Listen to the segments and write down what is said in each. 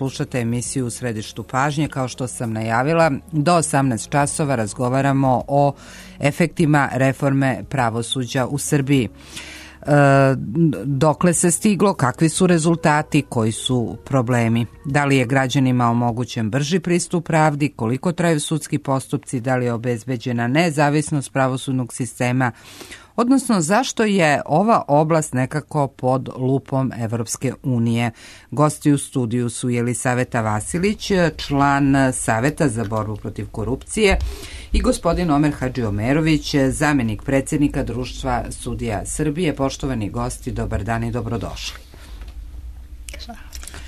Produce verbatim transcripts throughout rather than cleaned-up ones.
Slušate emisiju U središtu pažnje. Kao što sam najavila, do osamnaest časova razgovaramo o efektima reforme pravosuđa u Srbiji. E, dokle se stiglo, kakvi su rezultati, koji su problemi, da li je građanima omogućen brži pristup pravdi, koliko traju sudski postupci, da li je obezbeđena nezavisnost pravosudnog sistema, odnosno zašto je ova oblast nekako pod lupom Evropske unije. Gosti u studiju su Jelisaveta Vasilić, član Saveta za borbu protiv korupcije, i gospodin Omer Hadžiomerović, zamenik predsjednika Društva sudija Srbije. Poštovani gosti, dobar dan i dobrodošli.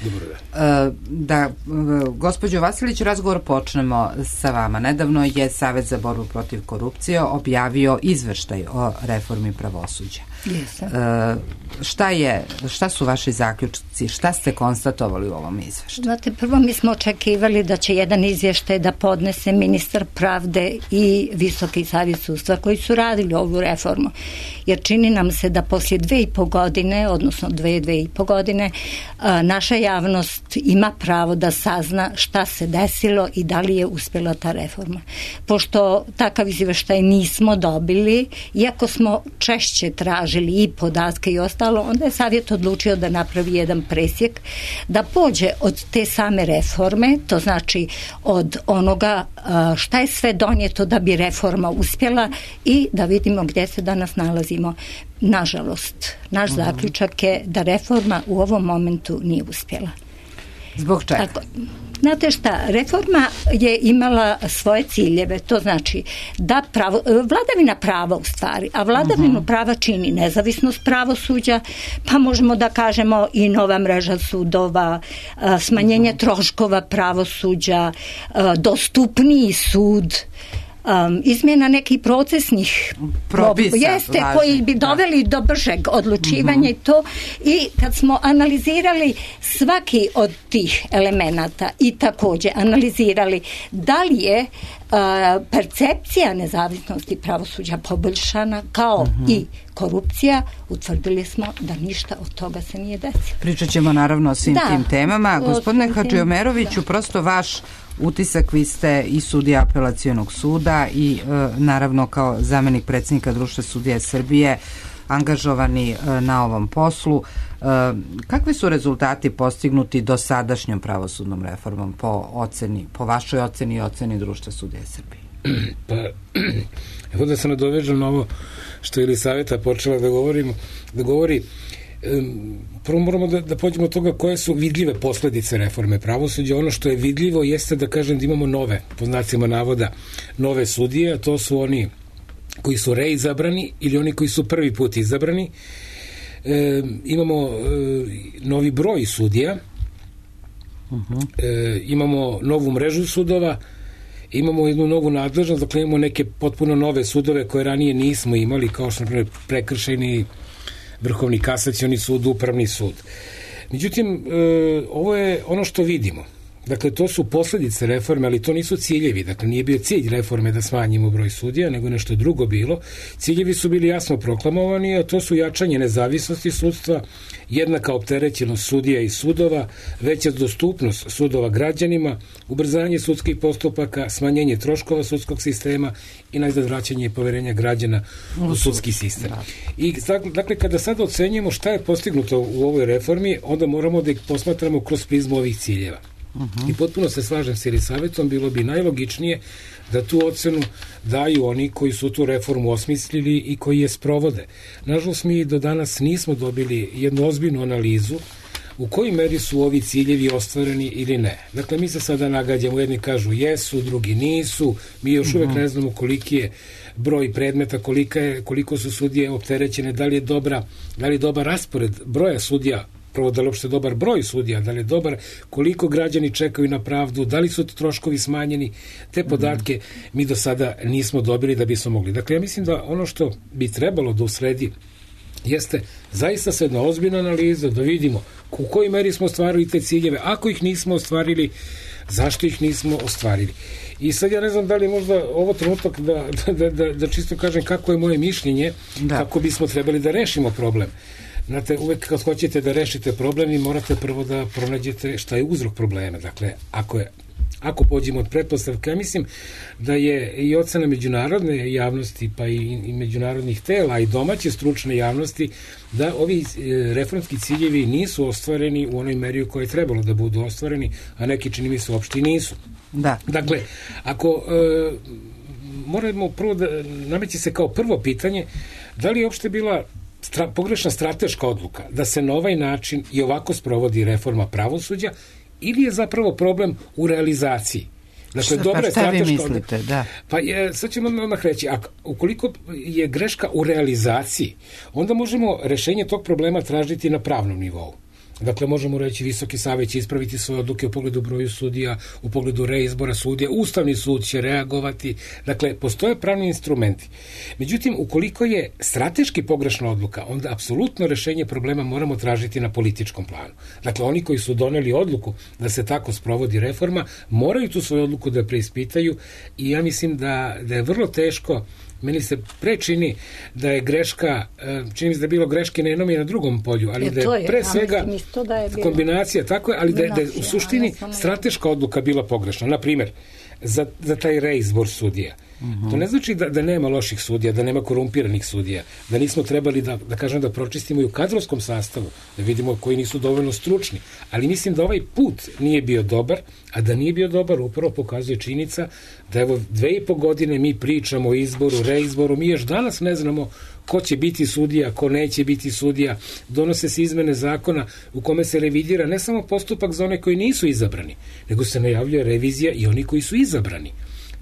Dobar dan. Da, gospođo Vasilić, razgovor počnemo sa vama. Nedavno je Savet za borbu protiv korupcije objavio izveštaj o reformi pravosuđa. Jesam. Šta je, šta su vaši zaključci? Šta ste konstatovali u ovom izveštaju? Znate, prvo mi smo očekivali da će jedan izvještaj da podnese ministar pravde i Visoki savjet sudstva koji su radili ovu reformu. Jer čini nam se da poslije dve i po godine, odnosno dve, dve i po godine, naša javnost ima pravo da sazna šta se desilo i da li je uspjela ta reforma. Pošto takav izvještaj nismo dobili, iako smo češće tražili i podatke i ostalo, onda je savjet odlučio da napravi jedan presjek, da pođe od te same reforme, to znači od onoga šta je sve donijeto da bi reforma uspjela i da vidimo gdje se danas nalazimo. Nažalost, naš uh-huh. zaključak je da reforma u ovom momentu nije uspjela. Zbog čega? Tako, znate šta, reforma je imala svoje ciljeve, to znači da pravo, vladavina prava u stvari, a vladavinu uh-huh. prava čini nezavisnost pravosuđa, pa možemo da kažemo i nova mreža sudova, smanjenje uh-huh. troškova pravosuđa, dostupniji sud, Um, izmjena nekih procesnih propisa, jeste, važni, koji bi doveli da. do bržeg odlučivanja uh-huh. i to, i kad smo analizirali svaki od tih elemenata i također analizirali da li je uh, percepcija nezavisnosti pravosuđa poboljšana kao uh-huh. i korupcija, utvrdili smo da ništa od toga se nije desilo. Pričat ćemo naravno o svim da, tim temama. Gospodine Hadžiomeroviću, prosto vaš utisak, vi ste i sudija apelacionog suda i e, naravno kao zamenik predsjednika Društva sudija Srbije angažovani e, na ovom poslu. E, kakvi su rezultati postignuti dosadašnjom pravosudnom reformom po oceni, po vašoj oceni i oceni Društva sudija Srbije? Pa, evo da se nadovežem na ovo što je Jelisaveta počela da govorimo, da govori. Prvo moramo da, da pođemo od toga koje su vidljive posljedice reforme pravosuđa. Ono što je vidljivo jeste da kažem da imamo nove, po znacima navoda, nove sudije, a to su oni koji su reizabrani ili oni koji su prvi put izabrani. E, imamo e, novi broj sudija, uh-huh. e, imamo novu mrežu sudova, imamo jednu novu nadležnost, dakle imamo neke potpuno nove sudove koje ranije nismo imali, kao što je prekršajni, Vrhovni kasacioni sud, Upravni sud. Međutim, e, ovo je ono što vidimo. Dakle, to su posljedice reforme, ali to nisu ciljevi. Dakle, nije bio cilj reforme da smanjimo broj sudija, nego nešto drugo bilo. Ciljevi su bili jasno proklamovani, a to su jačanje nezavisnosti sudstva, jednaka opterećenost sudija i sudova, veća dostupnost sudova građanima, ubrzanje sudskih postupaka, smanjenje troškova sudskog sistema i najzad vraćanje poverenja građana u sudski sistem. I dakle, kada sad ocenjujemo šta je postignuto u ovoj reformi, onda moramo da ih posmatramo kroz prizmu ovih ciljeva. Uh-huh. I potpuno se slažem s Jelisavetom, bilo bi najlogičnije da tu ocenu daju oni koji su tu reformu osmislili i koji je sprovode. Nažalost, mi do danas nismo dobili jednu ozbiljnu analizu u kojoj meri su ovi ciljevi ostvareni ili ne. Dakle, mi se sada nagađamo, jedni kažu jesu, drugi nisu, mi još uh-huh. uvek ne znamo koliki je broj predmeta, kolika je, koliko su sudije opterećene, da li je dobra, da li je dobar raspored broja sudija, prvo da li uopšte dobar broj sudija, da li je dobar, koliko građani čekaju na pravdu, da li su troškovi smanjeni, te podatke mm-hmm. mi do sada nismo dobili da bismo mogli. Dakle, ja mislim da ono što bi trebalo da usledi jeste zaista se jedna ozbiljna analiza, da vidimo u kojoj meri smo ostvarili te ciljeve, ako ih nismo ostvarili, zašto ih nismo ostvarili. I sad ja ne znam da li možda ovo trenutak da, da, da, da čisto kažem kako je moje mišljenje, da. Kako bismo trebali da rešimo problem. Znate, uvek kad hoćete da rešite problem, morate prvo da pronađete šta je uzrok problema. Dakle, ako je Ako pođemo od pretpostavke, ja mislim da je i ocena međunarodne javnosti, pa i, i međunarodnih tela, i domaće stručne javnosti, da ovi reformski ciljevi nisu ostvareni u onoj meri u kojoj je trebalo da budu ostvareni, a neki, čini mi se, uopšte nisu. Da. Dakle, ako e, moramo prvo da nameće se kao prvo pitanje, da li je uopšte bila stra, pogrešna strateška odluka da se na ovaj način i ovako sprovodi reforma pravosuđa, ili je zapravo problem u realizaciji? Dakle, šta, dobra pa šta vi mislite? Odluka. Da. Pa je, sad ćemo odmah reći, a ukoliko je greška u realizaciji, onda možemo rešenje tog problema tražiti na pravnom nivou. Dakle, možemo reći Visoki savet će ispraviti svoje odluke u pogledu broju sudija, u pogledu reizbora sudija, Ustavni sud će reagovati. Dakle, postoje pravni instrumenti. Međutim, ukoliko je strateški pogrešna odluka, onda apsolutno rešenje problema moramo tražiti na političkom planu. Dakle, oni koji su doneli odluku da se tako sprovodi reforma, moraju tu svoju odluku da preispitaju i ja mislim da, da je vrlo teško. Meni se pre čini da je greška, čini mi se da je bilo greške na jednom i na drugom polju, ali da je pre svega kombinacija, tako je, ali da je, da je u suštini strateška odluka bila pogrešna. Naprimjer, za, za taj reizbor sudija. To ne znači da, da nema loših sudija, da nema korumpiranih sudija, da nismo trebali da, da kažem da pročistimo i u kadrovskom sastavu, da vidimo koji nisu dovoljno stručni, ali mislim da ovaj put nije bio dobar, a da nije bio dobar upravo pokazuje činjenica da evo dve i po godine mi pričamo o izboru, reizboru, mi još danas ne znamo ko će biti sudija, ko neće biti sudija, donose se izmene zakona u kome se revidira ne samo postupak za one koji nisu izabrani, nego se najavljuje revizija i oni koji su izabrani.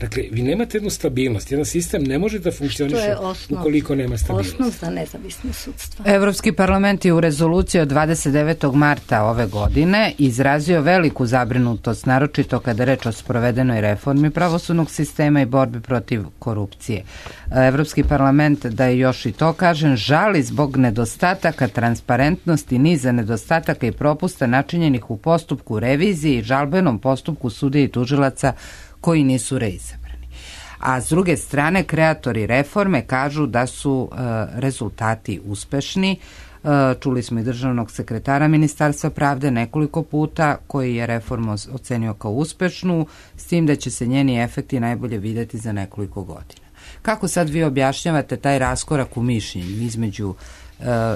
Dakle, vi nemate jednu stabilnost. Jedan sistem ne može da funkcioniše ukoliko nema stabilnost. Osnov za nezavisno sudstvo. Evropski parlament je u rezoluciji od dvadeset devetog marta ove godine izrazio veliku zabrinutost, naročito kada je reč o sprovedenoj reformi pravosudnog sistema i borbi protiv korupcije. Evropski parlament, da je još i to kažem, žali zbog nedostataka transparentnosti, niza nedostataka i propusta načinjenih u postupku revizije i žalbenom postupku sudija i tužilaca koji nisu reizabrani. A s druge strane, kreatori reforme kažu da su e, rezultati uspešni. E, čuli smo i državnog sekretara Ministarstva pravde nekoliko puta koji je reformu ocenio kao uspešnu, s tim da će se njeni efekti najbolje videti za nekoliko godina. Kako sad vi objašnjavate taj raskorak u mišljenju između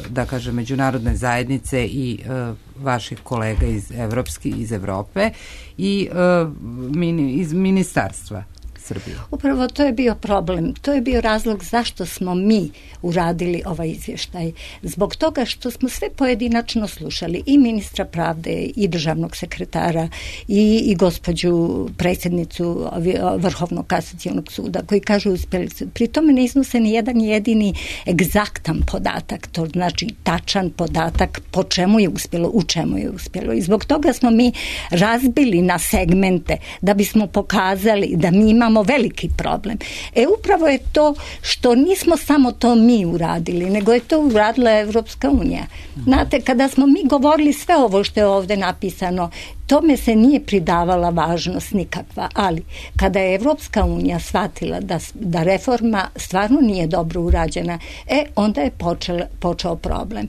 da kažem, međunarodne zajednice i uh, vaših kolega iz Evropski, iz Evrope i uh, mini, iz ministarstva Srbije? Upravo to je bio problem. To je bio razlog zašto smo mi uradili ovaj izvještaj. Zbog toga što smo sve pojedinačno slušali i ministra pravde i državnog sekretara i, i gospođu predsjednicu Vrhovnog kasacionog suda koji kažu uspjeli su. Pri tome ne iznose ni jedan jedini egzaktan podatak, to znači tačan podatak po čemu je uspjelo, u čemu je uspjelo. I zbog toga smo mi razbili na segmente da bismo pokazali da mi imamo veliki problem. E upravo je to što nismo samo to mi uradili, nego je to uradila Evropska unija. Znate, kada smo mi govorili sve ovo što je ovdje napisano, tome se nije pridavala važnost nikakva, ali kada je Evropska unija shvatila da, da reforma stvarno nije dobro urađena, e onda je počel, počeo problem.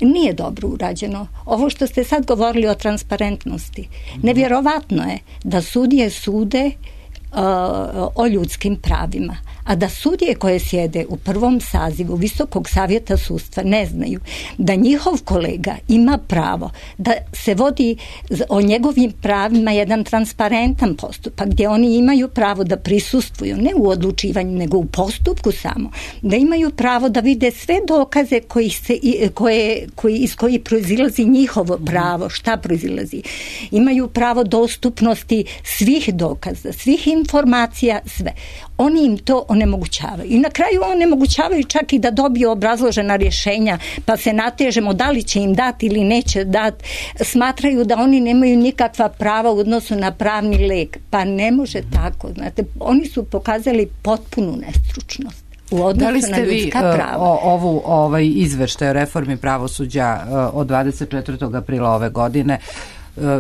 Nije dobro urađeno. Ovo što ste sad govorili o transparentnosti, nevjerovatno je da sudije sude o ljudskim pravima, a da sudije koje sjede u prvom sazivu Visokog savjeta sudstva ne znaju da njihov kolega ima pravo da se vodi o njegovim pravima jedan transparentan postupak gdje oni imaju pravo da prisustvuju ne u odlučivanju nego u postupku samo, da imaju pravo da vide sve dokaze koji se, koje, koji, iz koji proizilazi njihovo pravo, šta proizilazi, imaju pravo dostupnosti svih dokaza, svih informacija, sve. Oni im to onemogućavaju. I na kraju onemogućavaju čak i da dobiju obrazložena rješenja, pa se natežemo da li će im dati ili neće dati. Smatraju da oni nemaju nikakva prava u odnosu na pravni lek. Pa ne može tako. Znate, oni su pokazali potpunu nestručnost u odnosu da li ste na ljudska vi, prava. O, ovu ovaj izveštaj o reformi pravosuđa od dvadeset četvrtog aprila ove godine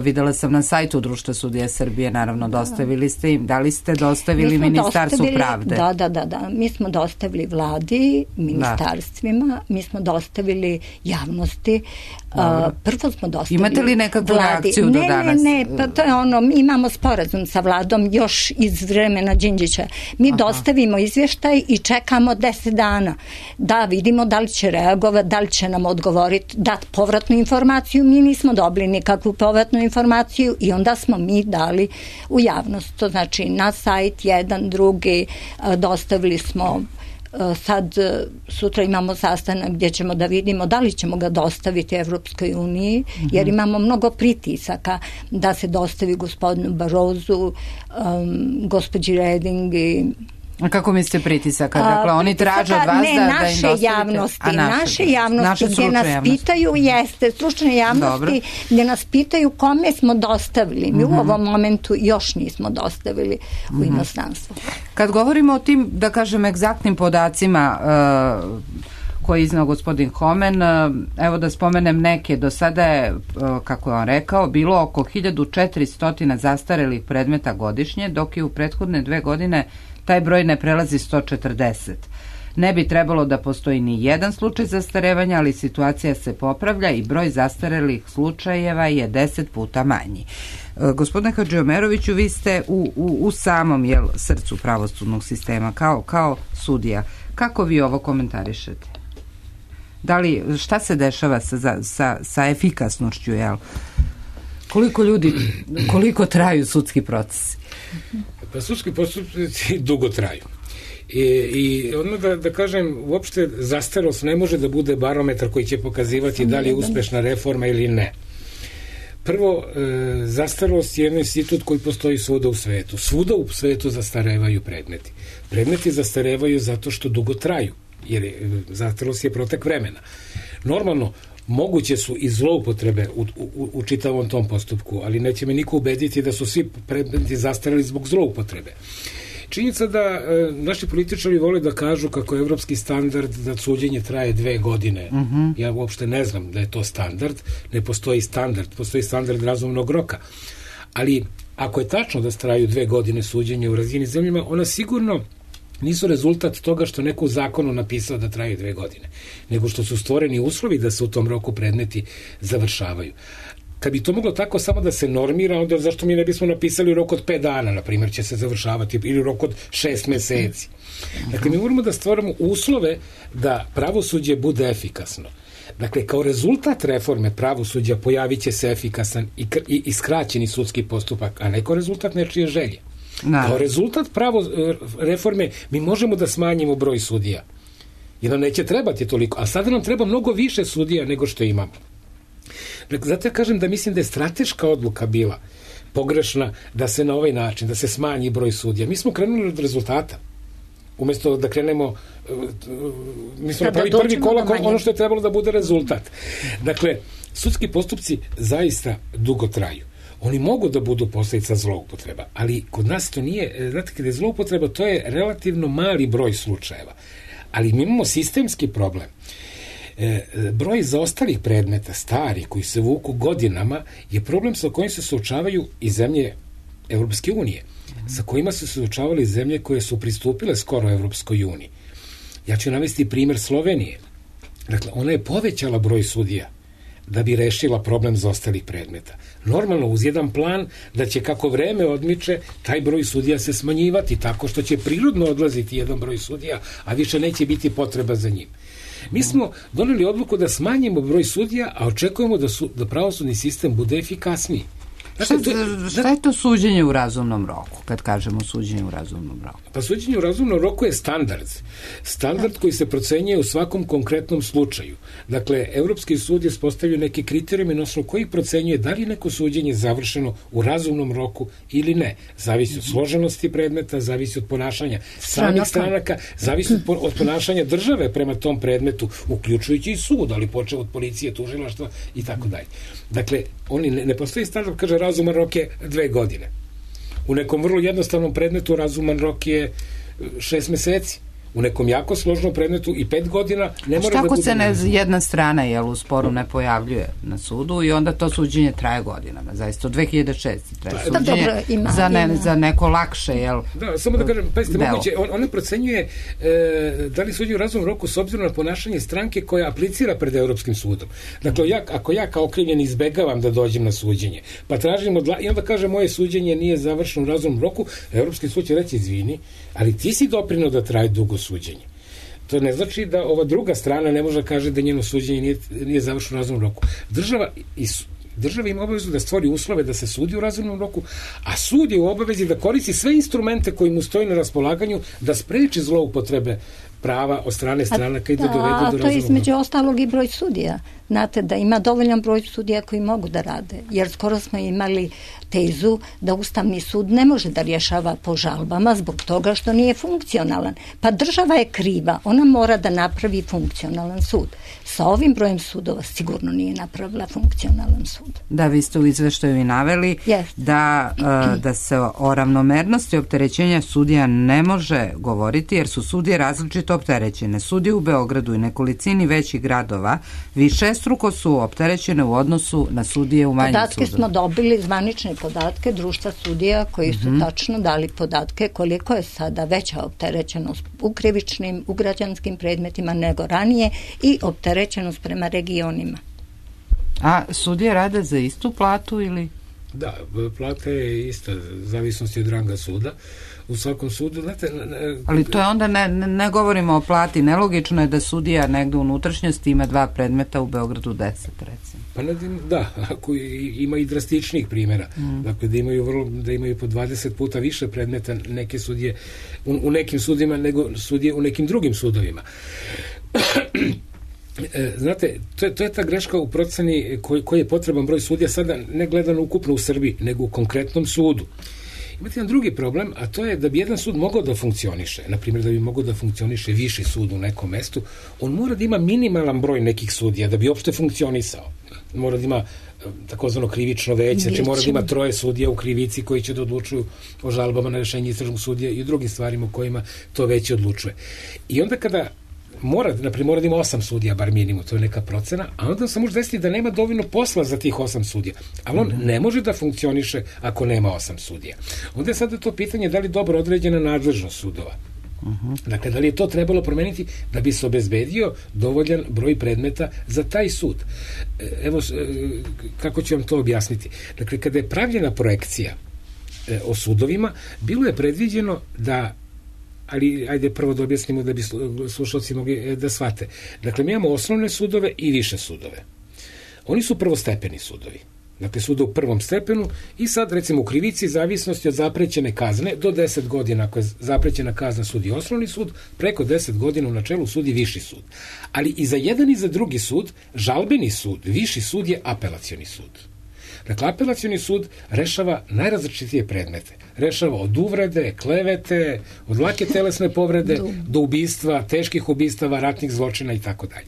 videla sam na sajtu Društva sudija Srbije, naravno dostavili ste im, da li ste dostavili Ministarstvu pravde? Da, da, da, da, mi smo dostavili vladi, ministarstvima, da. Mi smo dostavili javnosti, uh, prvo smo dostavili Imate li nekakvu vladi. reakciju do ne, danas? Ne, ne, pa to je ono, mi imamo sporazum sa vladom još iz vremena Đinđića. Mi Aha. dostavimo izvještaj i čekamo deset dana da vidimo da li će reagovati, da li će nam odgovoriti, dati povratnu informaciju. Mi nismo dobili nikakvu povratnu informaciju i onda smo mi dali u javnost. To znači na sajt jedan, drugi, dostavili smo. Sad sutra imamo sastanak gdje ćemo da vidimo da li ćemo ga dostaviti Evropskoj uniji, jer imamo mnogo pritisaka da se dostavi gospodinu Barozu, um, gospođi Reding i A kako mislite pritisaka? Dakle, a, oni traže od vas ne, da, da im naše dostavite? Javnosti, A, naše, naše javnosti, naše gdje nas javnosti. pitaju, jeste, stručne javnosti, Dobro. gdje nas pitaju kome smo dostavili. Mi uh-huh. u ovom momentu još nismo dostavili u uh-huh. inostranstvo. Kad govorimo o tim, da kažem, egzaktnim podacima uh, koji je iznao gospodin Homen, uh, evo da spomenem neke, do sada je, uh, kako je on rekao, bilo oko hiljadu četiristo zastarelih predmeta godišnje, dok je u prethodne dve godine taj broj ne prelazi sto četrdeset. Ne bi trebalo da postoji ni jedan slučaj zastarevanja, ali situacija se popravlja i broj zastarelih slučajeva je deset puta manji. E, gospodine Hadžiomeroviću, vi ste u, u, u samom jel, srcu pravosudnog sistema kao, kao sudija. Kako vi ovo komentarišete? Da li, šta se dešava sa, sa, sa efikasnošću, jel? Koliko ljudi, koliko traju sudski procesi? Pa sudski postupci dugo traju. I, i odmah da, da kažem, uopšte zastarost ne može da bude barometar koji će pokazivati da li je uspešna reforma ili ne. Prvo, e, zastarost je jedan institut koji postoji svuda u svetu. Svuda u svetu zastarevaju predmeti. Predmeti zastarevaju zato što dugo traju, jer je, zastarost je protek vremena. Normalno, moguće su i zloupotrebe u, u, u čitavom tom postupku, ali neće me niko ubediti da su svi predmeti zastareli zbog zloupotrebe. Činjenica da e, naši političari vole da kažu kako je evropski standard da suđenje traje dve godine. Uh-huh. Ja uopšte ne znam da je to standard, ne postoji standard, postoji standard razumnog roka. Ali ako je tačno da traju dve godine suđenja u razvijenim zemljama, ona sigurno nisu rezultat toga što neko u zakonu napisao da traju dve godine, nego što su stvoreni uslovi da se u tom roku predmeti završavaju. Kad bi to moglo tako samo da se normira, onda zašto mi ne bismo napisali u roku od pet dana, na primjer, će se završavati, ili u roku od šest meseci. Dakle, mi moramo da stvaramo uslove da pravosuđe bude efikasno. Dakle, kao rezultat reforme pravosuđa pojavit će se efikasan i, i, i skraćeni sudski postupak, a ne kao rezultat nečije želje. No. Kao rezultat pravo reforme mi možemo da smanjimo broj sudija. Jer nam neće trebati toliko, a sada nam treba mnogo više sudija nego što imamo. Dakle, zato ja kažem da mislim da je strateška odluka bila pogrešna da se na ovaj način, da se smanji broj sudija. Mi smo krenuli od rezultata. Umjesto da krenemo, mi smo napravili prvi kolak ono što je trebalo da bude rezultat. Dakle, sudski postupci zaista dugo traju. Oni mogu da budu posljedica zloupotreba, ali kod nas to nije, znate, kada je zloupotreba, to je relativno mali broj slučajeva. Ali mi imamo sistemski problem. E, broj zaostalih predmeta, stari, koji se vuku godinama, je problem sa kojim se suočavaju i zemlje Evropske unije, sa kojima su se suočavali zemlje koje su pristupile skoro Evropskoj uniji. Ja ću navesti primjer Slovenije. Dakle, ona je povećala broj sudija da bi rešila problem zaostalih predmeta. Normalno, uz jedan plan da će kako vreme odmiče, taj broj sudija se smanjivati tako što će prirodno odlaziti jedan broj sudija, a više neće biti potreba za njim. Mi smo doneli odluku da smanjimo broj sudija, a očekujemo da, su, da pravosudni sistem bude efikasniji. Šta, šta je to suđenje u razumnom roku, kad kažemo suđenje u razumnom roku? Pa suđenje u razumnom roku je standard. Standard koji se procenjuje u svakom konkretnom slučaju. Dakle, Evropski sud je postavio neke kriterijume na osnovu kojih procenjuje da li neko suđenje završeno u razumnom roku ili ne. Zavisi od složenosti predmeta, zavisi od ponašanja samih stranaka, zavisi od, od ponašanja države prema tom predmetu, uključujući i sud, ali počeo od policije, tužilaštva i tako dalje. Dakle, oni ne, ne postoji standard, kaže razuman rok je dve godine. U nekom vrlo jednostavnom predmetu razuman rok je šest meseci. u nekom jako složnom predmetu i pet godina ne mora da bude... Šta ako se ne, jedna strana jel, u sporu ne pojavljuje na sudu i onda to suđenje traje godinama, zaista od dve hiljade šeste traje da, suđenje dobro, ima, za, ne, ima. za neko lakše, jel? Da, samo da kažem, pazite, moguće, on, ona procenjuje e, da li suđenje u razumnom roku s obzirom na ponašanje stranke koja aplicira pred Evropskim sudom. Dakle, ja, ako ja kao okrivljen izbegavam da dođem na suđenje, pa tražim od, i onda kaže moje suđenje nije završeno u razumnom roku, Evropski sud će reći izvini, ali ti si doprineo da traje dugo suđenje. To ne znači da ova druga strana ne može da kaže da njeno suđenje nije, nije završeno u razumnom roku. Država, i, država ima obavezu da stvori uslove da se sudi u razumnom roku, a sud je u obavezi da koristi sve instrumente koji mu stoji na raspolaganju da spreči zloupotrebe prava od strane stranaka i da dovedu do razumnog roka. A to je između ostalog i broj sudija. Znate da ima dovoljan broj sudija koji mogu da rade, jer skoro smo imali tezu da Ustavni sud ne može da rješava po žalbama zbog toga što nije funkcionalan. Pa država je kriva, ona mora da napravi funkcionalan sud. Sa ovim brojem sudova sigurno nije napravila funkcionalan sud. Da, vi ste u izveštaju i naveli yes. da, da se o ravnomernosti opterećenja sudija ne može govoriti jer su sudije različito opterećene. Sudije u Beogradu i nekolicini većih gradova više struko su opterećene u odnosu na sudije u manjim podatke sudovima. Smo dobili, zvanične podatke društva sudija koji su mm-hmm. tačno dali podatke koliko je sada veća opterećenost u krivičnim, u građanskim predmetima nego ranije i opterećenost prema regionima. A sudije rade za istu platu ili? Da, plata je ista, zavisnosti od ranga suda. U svakom sudu, znate... Ali to je onda, ne, ne govorimo o plati, nelogično je da sudija negde u unutrašnjosti ima dva predmeta, u Beogradu deset, recimo. Pa ne, da, ako ima i drastičnih primjera, mm. dakle da imaju, vrlo, da imaju po dvadeset puta više predmeta neke sudije, u, u nekim sudima nego sudije u nekim drugim sudovima. Znate, to je, to je ta greška u proceni koji, koji je potreban broj sudija sada ne gledano ukupno u Srbiji, nego u konkretnom sudu. Imate jedan drugi problem, a to je da bi jedan sud mogao da funkcioniše, na primjer da bi mogao da funkcioniše viši sud u nekom mestu, on mora da ima minimalan broj nekih sudija da bi uopšte funkcionisao. Mora da ima takozvano krivično veće, znači mora da ima troje sudija u krivici koji će da odlučuju o žalbama na rešenje istražnog sudija i drugim stvarima u kojima to veće odlučuje. I onda kada mora, naprimjer, mora da ima osam sudija, bar minimum, to je neka procena, a onda se može desiti da nema dovoljno posla za tih osam sudija. Ali on ne može da funkcioniše ako nema osam sudija. Onda je sada to pitanje da li dobro određena nadležnost sudova. Uh-huh. Dakle, da li je to trebalo promeniti da bi se obezbedio dovoljan broj predmeta za taj sud. Evo, kako ću vam to objasniti. Dakle, kada je pravljena projekcija o sudovima, bilo je predviđeno da ali ajde prvo da objasnimo da bi slušalci mogli da shvate. Dakle, mi imamo osnovne sudove i više sudove. Oni su prvostepeni sudovi. Dakle, suda u prvom stepenu i sad, recimo, u krivici zavisnosti od zaprećene kazne do deset godina, ako je zaprećena kazna sudi osnovni sud, preko deset godina u načelu sudi viši sud. Ali i za jedan i za drugi sud, žalbeni sud, viši sud je apelacioni sud. Dakle, apelacioni sud rešava najrazličitije predmete. Rešava od uvrede, klevete, od lake telesne povrede do ubistva, teških ubistava, ratnih zločina i tako dalje.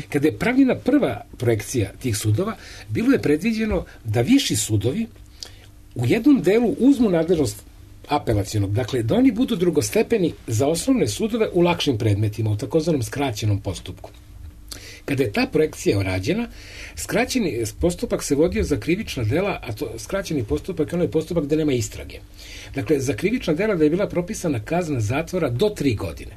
Kada je pravljena prva projekcija tih sudova, bilo je predviđeno da viši sudovi u jednom delu uzmu nadležnost apelacionog, dakle da oni budu drugostepeni za osnovne sudove u lakšim predmetima, u takozvanom skraćenom postupku. Kada je ta projekcija urađena, skraćeni postupak se vodio za krivična dela, a to skraćeni postupak je onaj postupak gde nema istrage. Dakle, za krivična dela da je bila propisana kazna zatvora do tri godine.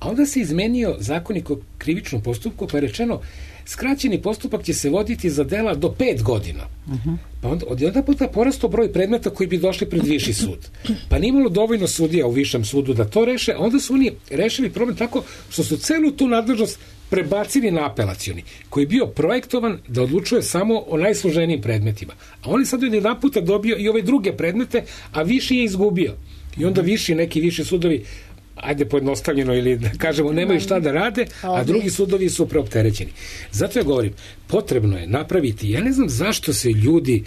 A onda se izmenio zakonik o krivičnom postupku, pa je rečeno skraćeni postupak će se voditi za dela do pet godina. Uh-huh. Pa onda, od jedan puta porastao broj predmeta koji bi došli pred viši sud. Pa nije imalo dovoljno sudija u višem sudu da to reše, a onda su oni rešili problem tako što su celu tu nadležnost prebacili na apelacioni, koji je bio projektovan da odlučuje samo o najsloženijim predmetima. A on je sad jedan puta dobio i ove druge predmete, a viši je izgubio. I onda viši, neki viši sudovi, ajde pojednostavljeno ili da kažemo, nemaju šta da rade, a drugi sudovi su preopterećeni. Zato ja govorim, potrebno je napraviti, ja ne znam zašto se ljudi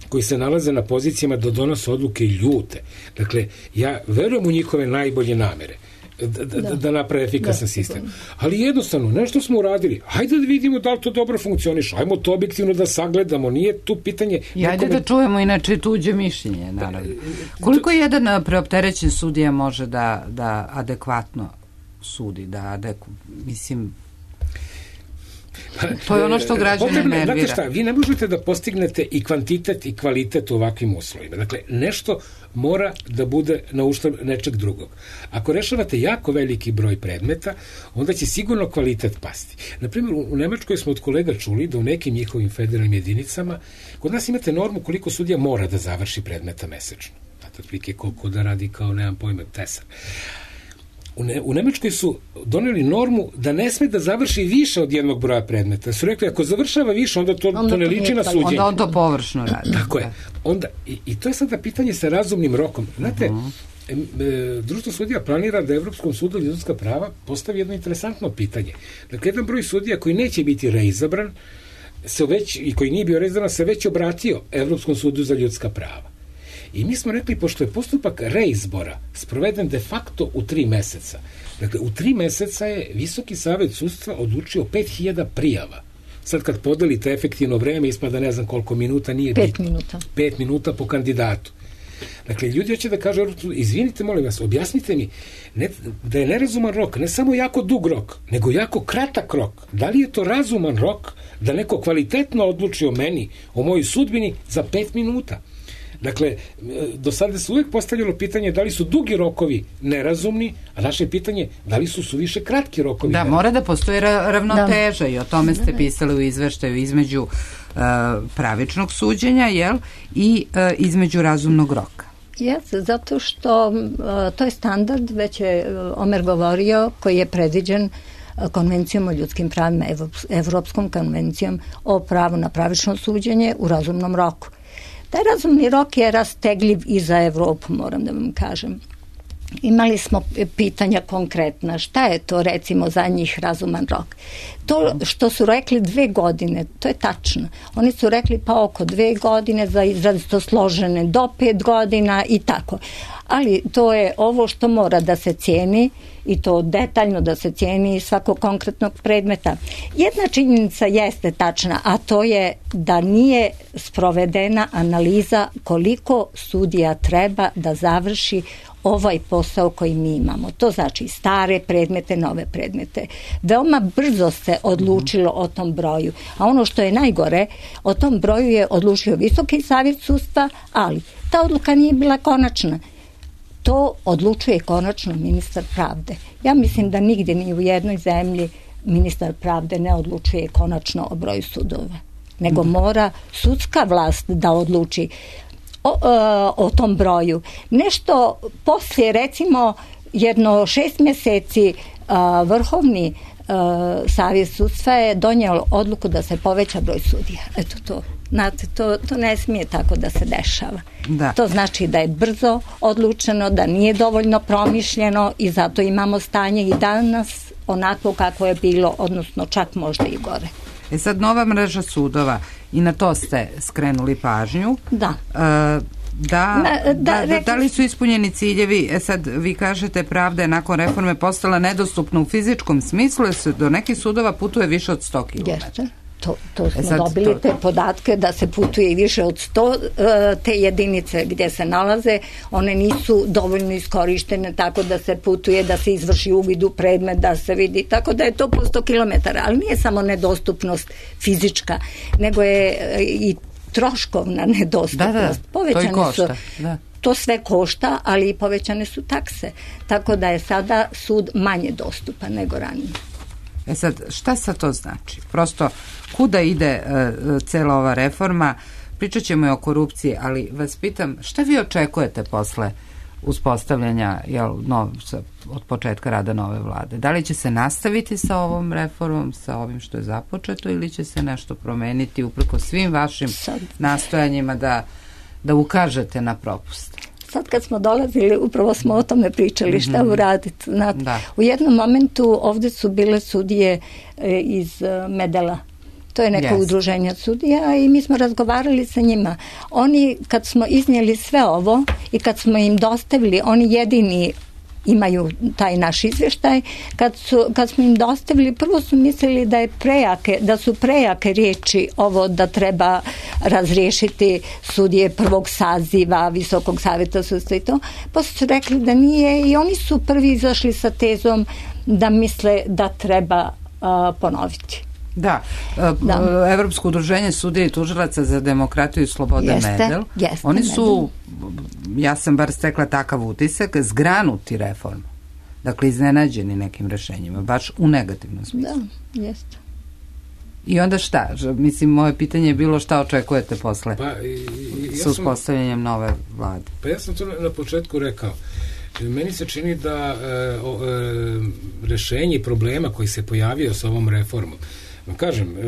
koji se nalaze na pozicijama da donose odluke ljute. Dakle, ja verujem u njihove najbolje namere. Da, da, da, da naprave efikasan sistem. Ali jednostavno, nešto smo uradili. Hajde da vidimo da li to dobro funkcioniše. Hajmo to objektivno da sagledamo. Nije tu pitanje... I hajde nekome... da čujemo inače tuđe mišljenje, naravno. Koliko jedan preopterećen sudija može da, da adekvatno sudi, da, da mislim, to je ono što građane nervira. Znate šta, vi ne možete da postignete i kvantitet i kvalitet u ovakvim uslovima. Dakle, nešto mora da bude na uštrb nečeg drugog. Ako rešavate jako veliki broj predmeta, onda će sigurno kvalitet pasti. Naprimjer, u Nemačkoj smo od kolega čuli da u nekim njihovim federalnim jedinicama, kod nas imate normu koliko sudija mora da završi predmeta mesečno. Znate, otprilike koliko da radi kao, nemam pojma, tesar. U, ne, u Nemačkoj su doneli normu da ne sme da završi više od jednog broja predmeta. Su rekli, ako završava više, onda to, onda to ne liči na suđenje. Onda on to površno radi. Tako je. Onda, i, i to je sada pitanje sa razumnim rokom. Znate, uh-huh. e, e, Društvo sudija planira da Evropskom sudu za ljudska prava postavi jedno interesantno pitanje. Dakle, jedan broj sudija koji neće biti reizabran se već, i koji nije bio reizabran se već obratio Evropskom sudu za ljudska prava. I mi smo rekli, pošto je postupak reizbora sproveden de facto u tri meseca, dakle, u tri meseca je Visoki savet sudstva odlučio pet hiljada prijava. Sad kad podelite efektivno vreme, ispada ne znam koliko minuta, nije pet bitno. minuta. Pet minuta po kandidatu. Dakle, ljudi hoće da kažu, izvinite, molim vas, objasnite mi ne, da je nerazuman rok, ne samo jako dug rok, nego jako kratak rok. Da li je to razuman rok da neko kvalitetno odluči o meni, o mojoj sudbini za pet minuta? Dakle, do sada se uvijek postavljalo pitanje da li su dugi rokovi nerazumni, a naše pitanje da li su suviše kratki rokovi da, nerazumni. Mora da postoji ravnoteža da. I o tome ste pisali u izveštaju između uh, pravičnog suđenja, jel, i uh, između razumnog roka. Jeste, zato što uh, to je standard, već je uh, Omer govorio, koji je predviđen uh, konvencijom o ljudskim pravima, Evropskom konvencijom o pravu na pravično suđenje u razumnom roku. Taj razumni rok je rastegljiv i za Evropu, moram da vam kažem. Imali smo pitanja konkretna, šta je to recimo za njih razuman rok. To što su rekli dve godine, to je tačno. Oni su rekli pa oko dve godine, za izrazito složene do pet godina i tako. Ali to je ovo što mora da se cijeni i to detaljno da se cijeni svakog konkretnog predmeta. Jedna činjenica jeste tačna, a to je da nije sprovedena analiza koliko sudija treba da završi ovaj posao koji mi imamo. To znači stare predmete, nove predmete. Veoma brzo se odlučilo o tom broju. A ono što je najgore, o tom broju je odlučio Visoki savjet sudstva, ali ta odluka nije bila konačna. To odlučuje konačno ministar pravde. Ja mislim da nigdje ni u jednoj zemlji ministar pravde ne odlučuje konačno o broju sudova, nego mora sudska vlast da odluči o, o tom broju. Nešto poslije, recimo, jedno šest mjeseci Vrhovni savjet sudstva je donijelo odluku da se poveća broj sudija. Eto to. Znate, to, to ne smije tako da se dešava. Da. To znači da je brzo odlučeno, da nije dovoljno promišljeno i zato imamo stanje i danas onako kako je bilo, odnosno čak možda i gore. E sad, nova mreža sudova, i na to ste skrenuli pažnju. Da. E, Da, da, da, da, da li su ispunjeni ciljevi? E sad, vi kažete, pravda je nakon reforme postala nedostupna u fizičkom smislu, jer se do nekih sudova putuje više od sto kilometara. Jeste. To, to smo e sad, dobili to... te podatke da se putuje i više od sto, te jedinice gdje se nalaze, one nisu dovoljno iskorištene tako da se putuje, da se izvrši uvid u predmet, da se vidi, tako da je to po sto kilometara, ali nije samo nedostupnost fizička, nego je i troškovna nedostupnost. Da, da, povećane to i košta. Su, da. To sve košta, ali i povećane su takse. Tako da je sada sud manje dostupan nego ranije. E sad, šta sad to znači? Prosto, kuda ide uh, cela ova reforma? Pričat ćemo i o korupciji, ali vas pitam, šta vi očekujete posle uspostavljanja jel, nov, od početka rada nove vlade? Da li će se nastaviti sa ovom reformom, sa ovim što je započeto, ili će se nešto promeniti uprko svim vašim sad nastojanjima da, da ukažete na propust? Sad kad smo dolazili, upravo smo o tome pričali, šta mm-hmm. uraditi. Znate, da. U jednom momentu ovdje su bile sudije e, iz e, Medela. To je neko yes. udruženje sudija i mi smo razgovarali sa njima. Oni, kad smo iznijeli sve ovo i kad smo im dostavili, oni jedini imaju taj naš izveštaj. Kad, su, kad smo im dostavili, prvo su mislili da je prejake, da su prejake riječi ovo da treba razriješiti sudije prvog saziva Visokog savjeta sudstva i to, pa su rekli da nije i oni su prvi izašli sa tezom da misle da treba uh, ponoviti. Da, da. Evropsko udruženje sudija i tužilaca za demokratiju i sloboda Medel, jeste, oni su, ja sam bar stekla takav utisak, zgranuti reformu. Dakle, iznenađeni nekim rešenjima, baš u negativnom smislu. Da, jeste. I onda šta? Mislim, moje pitanje je bilo šta očekujete posle pa, i, i, ja sa uspostavljanjem nove vlade? Pa ja sam to na, na početku rekao. Meni se čini da e, o, e, rešenje problema koji se pojavio sa ovom reformom, kažem, e,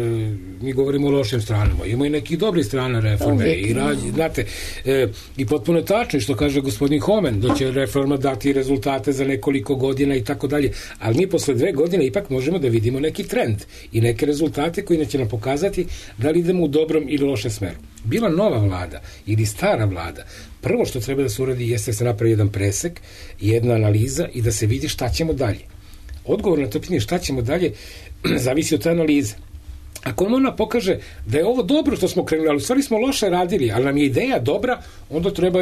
mi govorimo o lošim stranama, ima i nekih dobrih strana reforme i, rađi, znate, e, i potpuno je tačno što kaže gospodin Homen, da će reforma dati rezultate za nekoliko godina i tako dalje, ali mi posle dve godine ipak možemo da vidimo neki trend i neke rezultate koji će nam pokazati da li idemo u dobrom ili lošem smeru. Bila nova vlada ili stara vlada, prvo što treba da se uradi jeste da se napravi jedan presek, jedna analiza i da se vidi šta ćemo dalje. Odgovor na to pitanje šta ćemo dalje zavisi od te analize. Ako ona pokaže da je ovo dobro što smo krenuli, ali u stvari smo loše radili, ali nam je ideja dobra, onda treba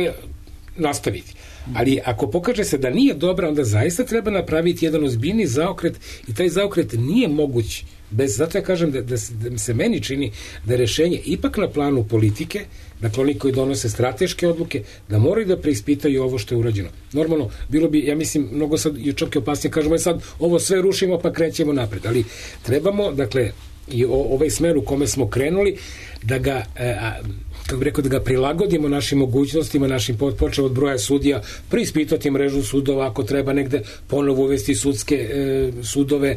nastaviti. Ali ako pokaže se da nije dobra, onda zaista treba napraviti jedan ozbiljni zaokret i taj zaokret nije moguć bez, zato ja kažem da, da, da se meni čini da je rešenje ipak na planu politike, dakle oni koji donose strateške odluke, da moraju da preispitaju ovo što je urađeno. Normalno, bilo bi, ja mislim, mnogo sad i čak i opasnije, kažemo sad ovo sve rušimo pa krećemo napred, ali trebamo, dakle, i o, ovaj smer u kome smo krenuli, da ga, e, a, kako bih rekao, da ga prilagodimo našim mogućnostima, našim počeo od broja sudija, preispitati mrežu sudova, ako treba negde ponovo uvesti sudske e, sudove,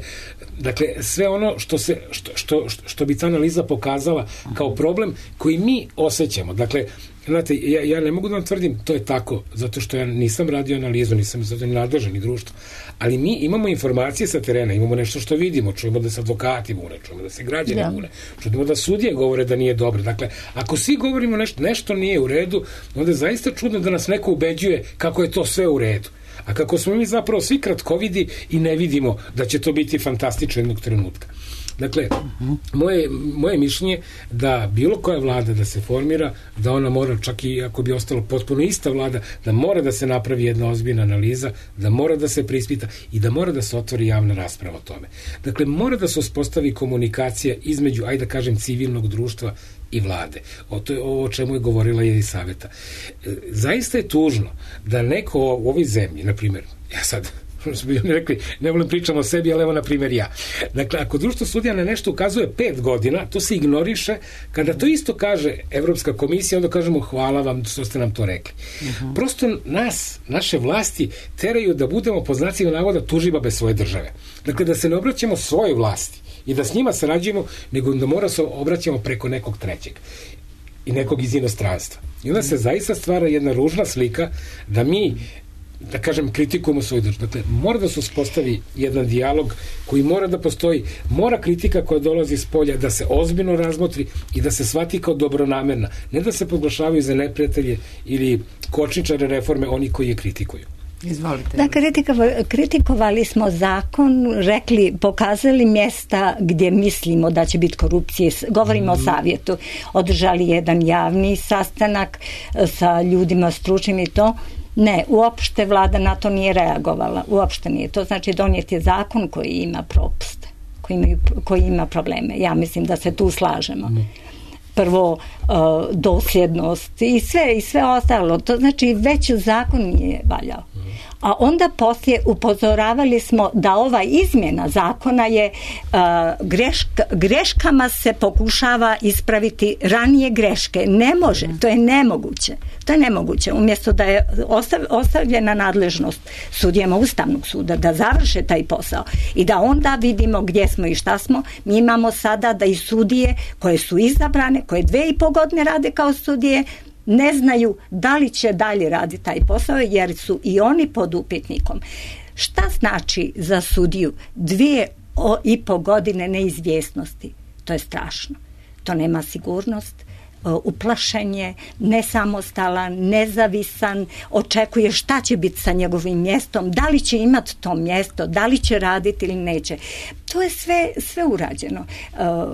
dakle, sve ono što, se, što, što, što bi ta analiza pokazala kao problem koji mi osjećamo. Dakle, znate, ja, ja ne mogu da vam tvrdim to je tako, zato što ja nisam radio analizu, nisam zato ni nadležan ni društvo, ali mi imamo informacije sa terena, imamo nešto što vidimo, čujemo da se advokati bune, čujemo da se građani ja. bune, čujemo da sudije govore da nije dobro. Dakle, ako svi govorimo nešto, nešto nije u redu, onda je zaista čudno da nas neko ubeđuje kako je to sve u redu. A kako smo mi zapravo svi kratkovidi i ne vidimo da će to biti fantastično jednog trenutka. Dakle, moje, moje mišljenje da bilo koja vlada da se formira, da ona mora, čak i ako bi ostala potpuno ista vlada, da mora da se napravi jedna ozbiljna analiza, da mora da se preispita i da mora da se otvori javna rasprava o tome. Dakle, mora da se uspostavi komunikacija između, ajde da kažem, civilnog društva i vlade. O to je ovo o čemu je govorila Jelisaveta. Zaista je tužno da neko u ovoj zemlji, na primjer, ja sad smo bi oni rekli, ne volim pričamo o sebi, ali evo na primjer ja. Dakle, ako društvo sudija na nešto ukazuje pet godina, to se ignoriše. Kada to isto kaže Evropska komisija, onda kažemo hvala vam što ste nam to rekli. Uh-huh. Prosto nas, naše vlasti teraju da budemo po znacima navoda tužibabe svoje države. Dakle, da se ne obraćamo svojoj vlasti i da s njima sarađujemo, nego da mora se obraćamo preko nekog trećeg i nekog iz inostranstva. I onda se zaista stvara jedna ružna slika da mi da kažem, kritikujemo svoju državu. Dakle, mora da se uspostavi jedan dijalog koji mora da postoji, mora kritika koja dolazi iz polja da se ozbiljno razmotri i da se shvati kao dobronamerna, ne da se proglašavaju za neprijatelje ili kočničare reforme oni koji je kritikuju. Izvolite. Da, kritikovali smo zakon, rekli, pokazali mjesta gdje mislimo da će biti korupcije. Govorimo mm. o savjetu. Održali jedan javni sastanak sa ljudima stručnim i to. Ne, uopšte vlada na to nije reagovala. Uopšte nije. To znači donijet je zakon koji ima propuste, koji, imaju, koji ima probleme. Ja mislim da se tu slažemo. Mm. Prvo, uh, dosljednost i sve, i sve ostalo. To znači već zakon nije valjao. A onda poslije upozoravali smo da ova izmjena zakona je uh, greška, greškama se pokušava ispraviti ranije greške. Ne može, to je nemoguće. To je nemoguće. Umjesto da je ostav, ostavljena nadležnost sudijama Ustavnog suda da završe taj posao i da onda vidimo gdje smo i šta smo, mi imamo sada da i sudije koje su izabrane, koje dve i po godine rade kao sudije, ne znaju da li će dalje raditi taj posao jer su i oni pod upitnikom. Šta znači za sudiju dvije i po godine neizvjesnosti? To je strašno. To nema sigurnost, uplašen je, nesamostalan, nezavisan, očekuje šta će biti sa njegovim mjestom, da li će imati to mjesto, da li će raditi ili neće. To je sve, sve urađeno.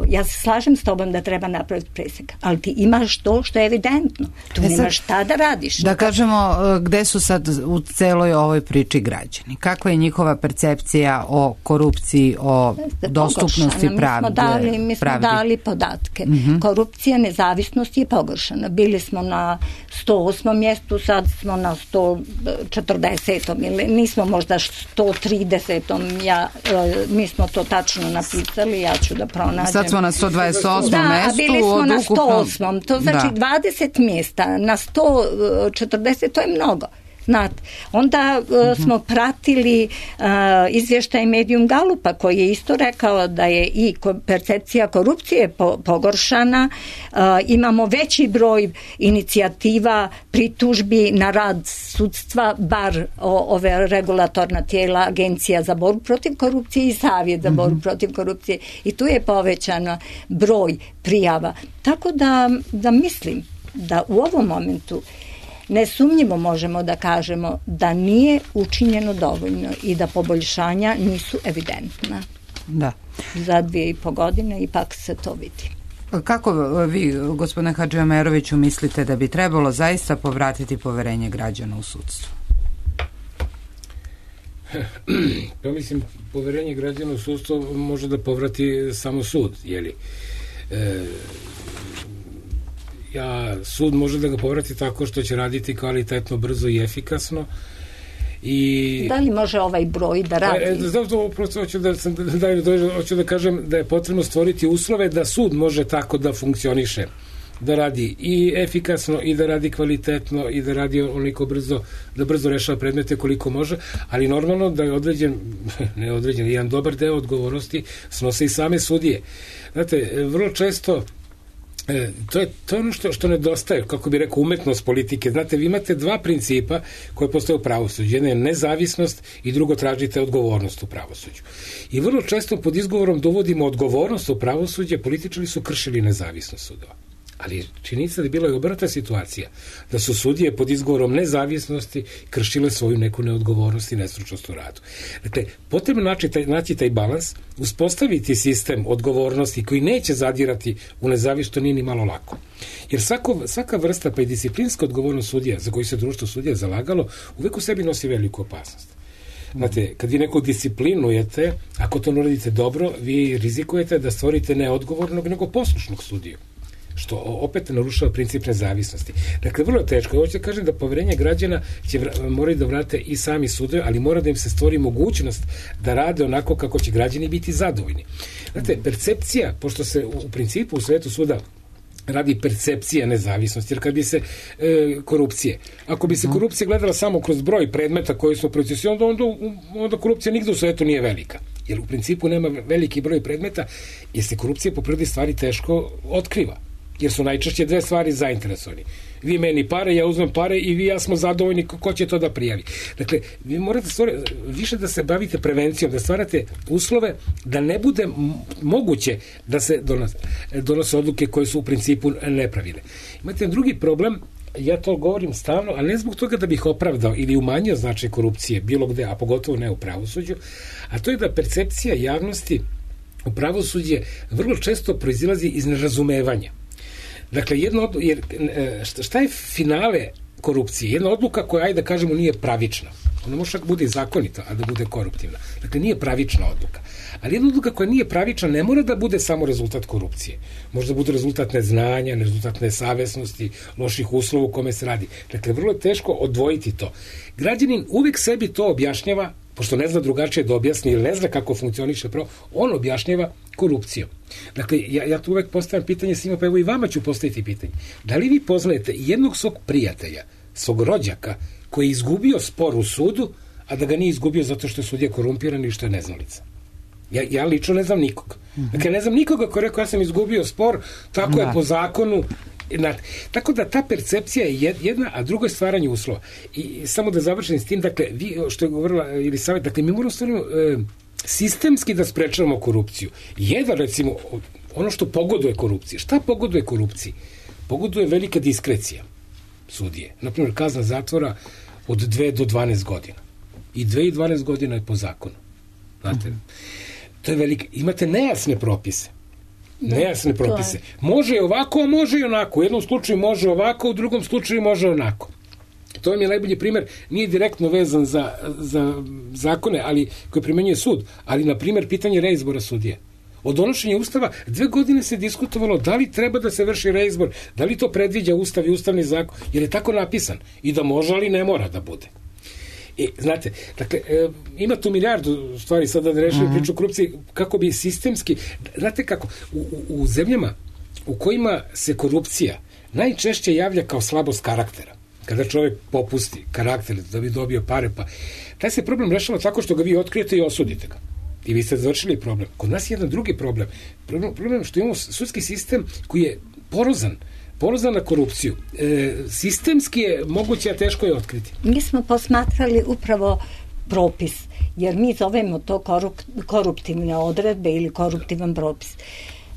Ja se slažem s tobom da treba napraviti presek, ali ti imaš to što je evidentno. Tu e nemaš šta da radiš. Da kažemo, gde su sad u celoj ovoj priči građani? Kakva je njihova percepcija o korupciji, o dostupnosti pravde? Mi smo dali, mi smo dali podatke. Mm-hmm. Korupcija, nezavisnost je pogoršana. Bili smo na sto osmom mjestu, sad smo na sto četrdesetom ili nismo možda sto tridesetom. Ja, mi smo to tačno napisali, ja ću da pronađem. Sad smo na sto dvadeset osmom da, mestu. Da, bili smo na sto osmom. To znači da. dvadeset mjesta na sto četrdeset, to je mnogo. Znate, onda uh, smo pratili uh, izvještaj Medium Galupa koji je isto rekao da je i percepcija korupcije po, pogoršana, uh, imamo veći broj inicijativa, pritužbi na rad sudstva, bar o, ove regulatorna tijela, Agencija za borbu protiv korupcije i Savjet za borbu mm-hmm. protiv korupcije, i tu je povećan broj prijava. Tako da, da mislim da u ovom momentu nesumnjivo možemo da kažemo da nije učinjeno dovoljno i da poboljšanja nisu evidentna. Da. Za dvije i po godine ipak se to vidi. Kako vi, gospodine Hadžiomeroviću, mislite da bi trebalo zaista povratiti poverenje građana u sudstvo? Ja mislim, poverenje građana u sudstvo može da povrati samo sud, jeli? E, ja, sud može da ga povrati tako što će raditi kvalitetno, brzo i efikasno. I da li može ovaj broj da radi? E, zato prosto hoću da, da, da, hoću da kažem da je potrebno stvoriti uslove da sud može tako da funkcioniše, da radi i efikasno i da radi kvalitetno i da radi onoliko brzo, da brzo rešava predmete koliko može, ali normalno da je određen, ne određen, jedan dobar deo odgovornosti snose i same sudije. Znate, vrlo često E, to je, to je ono što, što nedostaje, kako bi rekao, umetnost politike. Znate, vi imate dva principa koje postoje u pravosuđu. Jedna je nezavisnost i drugo, tražite odgovornost u pravosuđu. I vrlo često pod izgovorom dovodimo odgovornost u pravosuđe, političari su kršili nezavisnost sudova. Ali činjenica da je bila i obrnuta situacija, da su sudije pod izgovorom nezavisnosti kršile svoju neku neodgovornost i nestručnost u radu. Dakle, potrebno naći taj, naći taj balans, uspostaviti sistem odgovornosti koji neće zadirati u nezavisnost, to nije ni malo lako. Jer svako, svaka vrsta, pa i disciplinska odgovornost sudija, za koju se društvo sudija zalagalo, uvek u sebi nosi veliku opasnost. Znate, kad vi nekog disciplinujete, ako to ne radite dobro, vi rizikujete da stvorite ne odgovornog, nego poslušnog sudiju, što opet narušava princip nezavisnosti. Dakle, vrlo teško. Hoću da kažem da poverenje građana će vra- moraju da vrate i sami sudovi, ali mora da im se stvori mogućnost da rade onako kako će građani biti zadovoljni. Znate, percepcija, pošto se u principu u svetu suda radi percepcija nezavisnosti, jer kad bi se e, korupcije, ako bi se korupcija gledala samo kroz broj predmeta koji su u procesi, onda, onda, onda korupcija nigde u svetu nije velika. Jer u principu nema veliki broj predmeta, jer se korupcija po prirodi stvari teško otkriva. Jer su najčešće dve stvari zainteresovani. Vi meni pare, ja uzmem pare i vi ja smo zadovoljni, ko će to da prijavi. Dakle, vi morate stvoriti, više da se bavite prevencijom, da stvarate uslove da ne bude moguće da se donose, donose odluke koje su u principu nepravilne. Imate drugi problem, ja to govorim stalno, ali ne zbog toga da bih opravdao ili umanjio značaj korupcije bilo gde, a pogotovo ne u pravosuđu, a to je da percepcija javnosti u pravosuđe vrlo često proizilazi iz nerazumevanja. Dakle, jedno od, jer, šta je finale korupcije? Jedna odluka koja, ajde da kažemo, nije pravična. Ona može čak bude zakonita, a da bude koruptivna. Dakle, nije pravična odluka. Ali jedna odluka koja nije pravična ne mora da bude samo rezultat korupcije. Može da bude rezultat neznanja, rezultat nesavesnosti, loših uslova u kome se radi. Dakle, vrlo je teško odvojiti to. Građanin uvijek sebi to objašnjava, pošto ne zna drugačije da objasni ili ne zna kako funkcioniše pravo, on objašnjava korupcijom. Dakle, ja, ja tu uvek postavljam pitanje svima, pa evo i vama ću postaviti pitanje. Da li vi poznajete jednog svog prijatelja, svog rođaka, koji je izgubio spor u sudu, a da ga nije izgubio zato što je sudija korumpiran i što je neznalica? Ja, ja lično ne znam nikog. Dakle, ne znam nikoga ko je rekao ja sam izgubio spor, tako da je po zakonu. Na, tako da ta percepcija je jedna, a drugo je stvaranje uslova. I samo da završim s tim, dakle, vi, što je govorila ili savjet, dakle, mi moramo stvarno e, sistemski da sprečavamo korupciju. Jedan, recimo, ono što pogoduje korupciji. Šta pogoduje korupciji? pogoduje velika diskrecija sudije. Naprimjer, kazna zatvora od dve do dvanaest godina. I dve i dvanaest godina je po zakonu. Znate, mm. to je velika. Imate nejasne propise. Da, nejasne propise. Je. Može ovako, a može i onako. U jednom slučaju može ovako, u drugom slučaju može onako. To vam je najbolji primjer, nije direktno vezan za, za zakone, ali koje primenjuje sud, ali na primjer pitanje reizbora sudije. Od donošenja Ustava dve godine se diskutovalo da li treba da se vrši reizbor, da li to predviđa Ustav i Ustavni zakon, jer je tako napisan i da može, ali ne mora da bude. E, znate, dakle, e, ima tu milijardu stvari sada da rešimo mm-hmm. priču o korupciji, kako bi sistemski, znate kako, u, u, u zemljama u kojima se korupcija najčešće javlja kao slabost karaktera, kada čovjek popusti karakter da bi dobio pare, pa taj se problem rešava tako što ga vi otkrijete i osudite ga. I vi ste završili problem. Kod nas je jedan drugi problem. Problem, problem što imamo sudski sistem koji je porozan, porozan na korupciju. E, sistemski je moguće, a teško je otkriti. Mi smo posmatrali upravo propis, jer mi zovemo to korup, koruptivne odredbe ili koruptivan propis.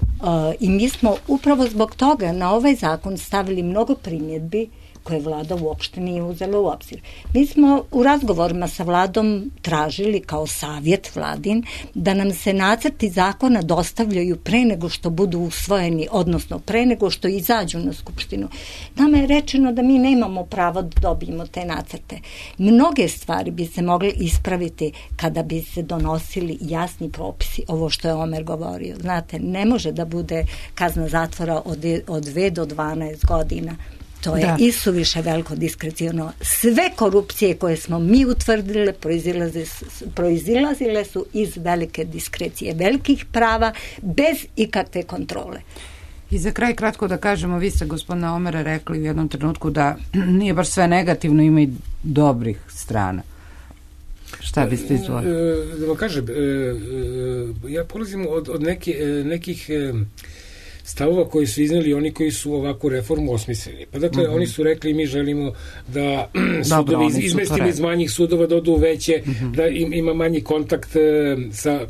Uh, I mi smo upravo zbog toga na ovaj zakon stavili mnogo primjedbi koje vlada uopšte nije uzela u obzir. Mi smo u razgovorima sa vladom tražili kao savjet vladin da nam se nacrti zakona dostavljaju pre nego što budu usvojeni, odnosno pre nego što izađu na skupštinu. Nama je rečeno da mi nemamo pravo da dobijemo te nacrte. Mnoge stvari bi se mogle ispraviti kada bi se donosili jasni propisi, ovo što je Omer govorio. Znate, ne može da bude kazna zatvora od, od dve do dvanaest godina. To je da. Isuviše veliko diskreciono. Sve korupcije koje smo mi utvrdile proizilazile, proizilazile su iz velike diskrecije, velikih prava, bez ikakve kontrole. I za kraj kratko da kažemo, vi ste gospodina Omera rekli u jednom trenutku da nije baš sve negativno, ima i dobrih strana. Šta biste izvoli? Da vam kažem, ja polazim od, od neke, nekih stavova koji su izneli oni koji su ovakvu reformu osmislili. Pa dakle, mm-hmm. oni su rekli mi želimo da sudovi iz, izmestimo iz manjih sudova da odu u veće, mm-hmm. da im, ima manji kontakt e, sa,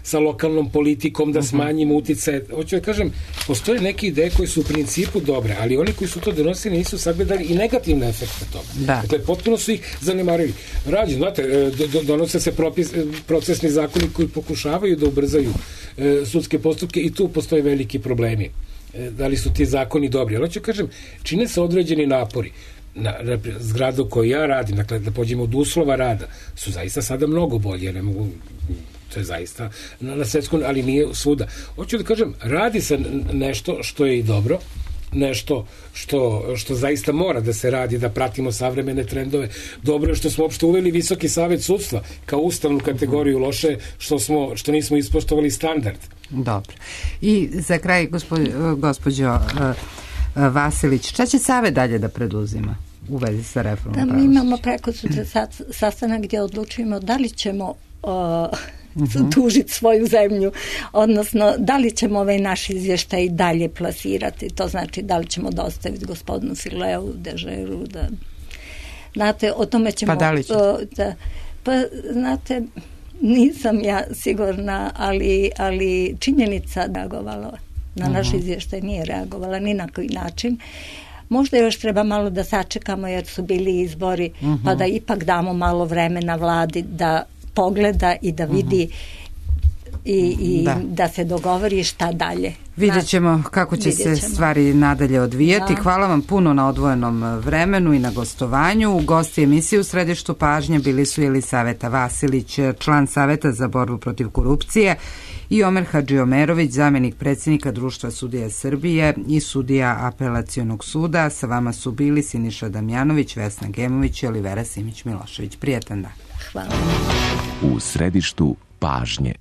sa lokalnom politikom, da mm-hmm. smanjimo uticaje. Hoću da kažem, postoje neke ideje koje su u principu dobre, ali oni koji su to donosili nisu sagledali i negativne efekte toga. Da. Dakle, potpuno su ih zanemarili. Rađe, znate, do, donose se propis, procesni zakoni koji pokušavaju da ubrzaju e, sudske postupke i tu postoje veliki problemi. E, da li su ti zakoni dobri? Ali hoću kažem, čine se određeni napori. Na, na zgradu koju ja radim, dakle, da pođemo od uslova rada, su zaista sada mnogo bolje. Ne mogu... to je zaista na, na svetskom, ali nije svuda. Hoću da kažem, radi se nešto što je i dobro, nešto što, što zaista mora da se radi, da pratimo savremene trendove. Dobro je što smo uopšte uveli Visoki savet sudstva kao ustavnu kategoriju, loše što, smo, što nismo ispoštovali standard. Dobro. I za kraj, gospođo, gospođo Vasilić, šta će savet dalje da preduzima u vezi sa reformom da, pravosuđa? Mi imamo preko sutra sastanak gdje odlučujemo da li ćemo uh, Uh-huh. tužiti svoju zemlju, odnosno da li ćemo ovaj naš izvještaj dalje plasirati, to znači da li ćemo dostaviti gospodinu Fileu, Dežeru, da znate, o tome ćemo pa da li će? Da, pa znate, nisam ja sigurna, ali, ali činjenica da reagovala na uh-huh. naš izvještaj nije reagovala ni na koji način. Možda još treba malo da sačekamo jer su bili izbori, uh-huh. pa da ipak damo malo vremena vladi da pogleda i da vidi uh-huh. i, i da. da se dogovori šta dalje. Vidjet ćemo kako će se stvari nadalje odvijati. Da. Hvala vam puno na odvojenom vremenu i na gostovanju. Gosti emisije u središtu pažnje bili su Jelisaveta Vasilić, član Saveta za borbu protiv korupcije, i Omer Hadžiomerović, zamjenik predsjednika Društva sudija Srbije i sudija Apelacionog suda. Sa vama su bili Siniša Damjanović, Vesna Gemović i Olivera Simić Milošević. Prijetan dan. Hvala. U središtu pažnje.